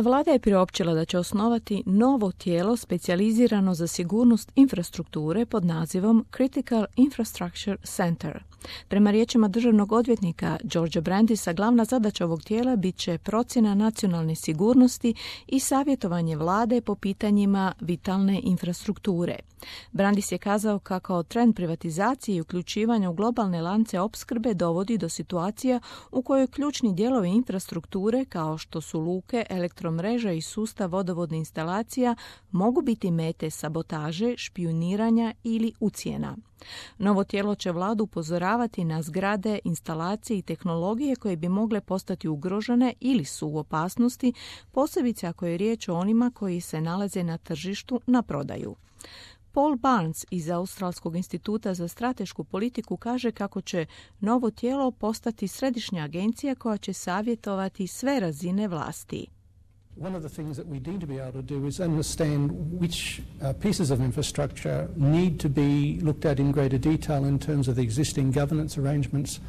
Vlada je priopćila da će osnovati novo tijelo specijalizirano za sigurnost infrastrukture pod nazivom Critical Infrastructure Center. Prema riječima državnog odvjetnika Georgea Brandisa, glavna zadaća ovog tijela bit će procjena nacionalne sigurnosti i savjetovanje vlade po pitanjima vitalne infrastrukture. Brandis je kazao kako trend privatizacije i uključivanja u globalne lance opskrbe dovodi do situacija u kojoj ključni dijelovi infrastrukture, kao što su luke, elektromreža i sustav vodovodne instalacija, mogu biti mete sabotaže, špijuniranja ili ucjena. Novo tijelo će vladu upozoravati na zgrade, instalacije i tehnologije koje bi mogle postati ugrožene ili su u opasnosti, posebice ako je riječ o onima koji se nalaze na tržištu na prodaju. Paul Barnes iz Australskog instituta za stratešku politiku kaže kako će novo tijelo postati središnja agencija koja će savjetovati sve razine vlasti. One of the things that we need to be able to do is understand which pieces of infrastructure need to be looked at in greater detail in terms of the existing governance arrangements.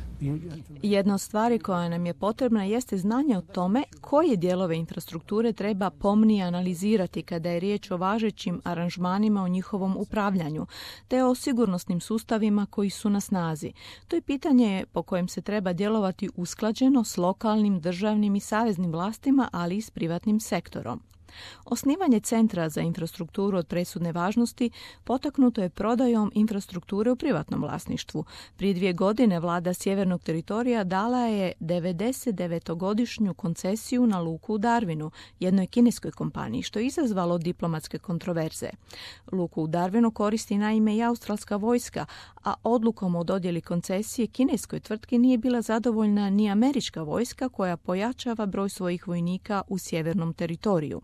Jedna od stvari koja nam je potrebna jeste znanje o tome koje dijelove infrastrukture treba pomnije analizirati kada je riječ o važećim aranžmanima o njihovom upravljanju, te o sigurnosnim sustavima koji su na snazi. To je pitanje po kojem se treba djelovati usklađeno s lokalnim, državnim i saveznim vlastima, ali i s privatnim sektorom. Osnivanje Centra za infrastrukturu od presudne važnosti potaknuto je prodajom infrastrukture u privatnom vlasništvu. Prije 2 godine vlada Sjevernog teritorija dala je 99-godišnju koncesiju na luku u Darwinu, jednoj kineskoj kompaniji, što je izazvalo diplomatske kontroverze. Luku u Darwinu koristi naime i australska vojska, a odlukom o dodjeli koncesije kineskoj tvrtki nije bila zadovoljna ni američka vojska koja pojačava broj svojih vojnika u sjevernom teritoriju.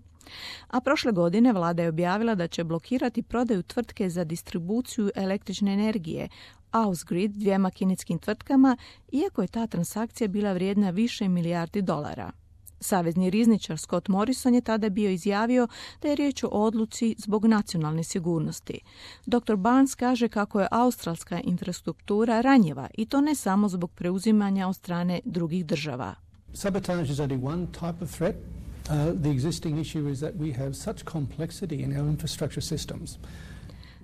A prošle godine vlada je objavila da će blokirati prodaju tvrtke za distribuciju električne energije, Ausgrid, 2 kineskim tvrtkama, iako je ta transakcija bila vrijedna više milijardi dolara. Savezni rizničar Scott Morrison je tada bio izjavio da je riječ o odluci zbog nacionalne sigurnosti. Dr. Barnes kaže kako je australska infrastruktura ranjiva i to ne samo zbog preuzimanja od strane drugih država. Sabotage is only one type of threat. The existing issue is that we have such complexity in our infrastructure systems.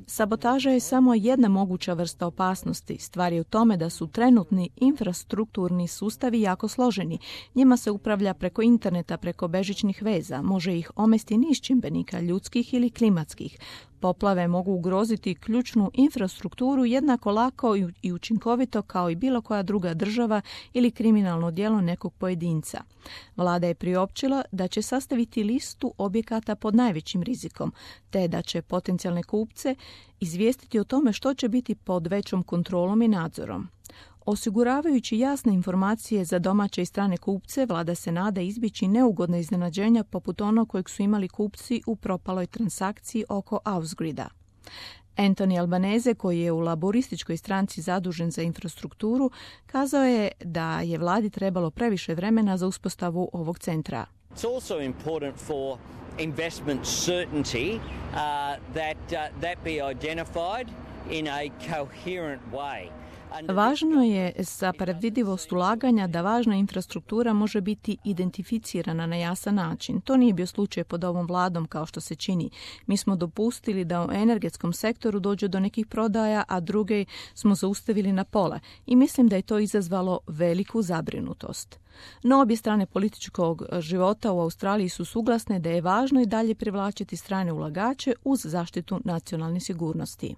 Sabotaža je samo jedna moguća vrsta opasnosti. Stvar je u tome da su trenutni infrastrukturni sustavi jako složeni. Njima se upravlja preko interneta, preko bežičnih veza. Može ih omesti niz čimbenika, ljudskih ili klimatskih. Poplave mogu ugroziti ključnu infrastrukturu jednako lako i učinkovito kao i bilo koja druga država ili kriminalno djelo nekog pojedinca. Vlada je priopćila da će sastaviti listu objekata pod najvećim rizikom, te da će potencijalne kupce izvijestiti o tome što će biti pod većom kontrolom i nadzorom. Osiguravajući jasne informacije za domaće i strane kupce, vlada se nada izbjeći neugodna iznenađenja poput onog kojeg su imali kupci u propaloj transakciji oko Ausgrida. Anthony Albanese, koji je u laborističkoj stranci zadužen za infrastrukturu, kazao je da je vladi trebalo previše vremena za uspostavu ovog centra. It's also important for investment certainty that be identified in a coherent way. Važno je za predvidivost ulaganja da važna infrastruktura može biti identificirana na jasan način. To nije bio slučaj pod ovom vladom kao što se čini. Mi smo dopustili da u energetskom sektoru dođe do nekih prodaja, a druge smo zaustavili na pola. I mislim da je to izazvalo veliku zabrinutost. No, obje strane političkog života u Australiji su suglasne da je važno i dalje privlačiti strane ulagače uz zaštitu nacionalne sigurnosti.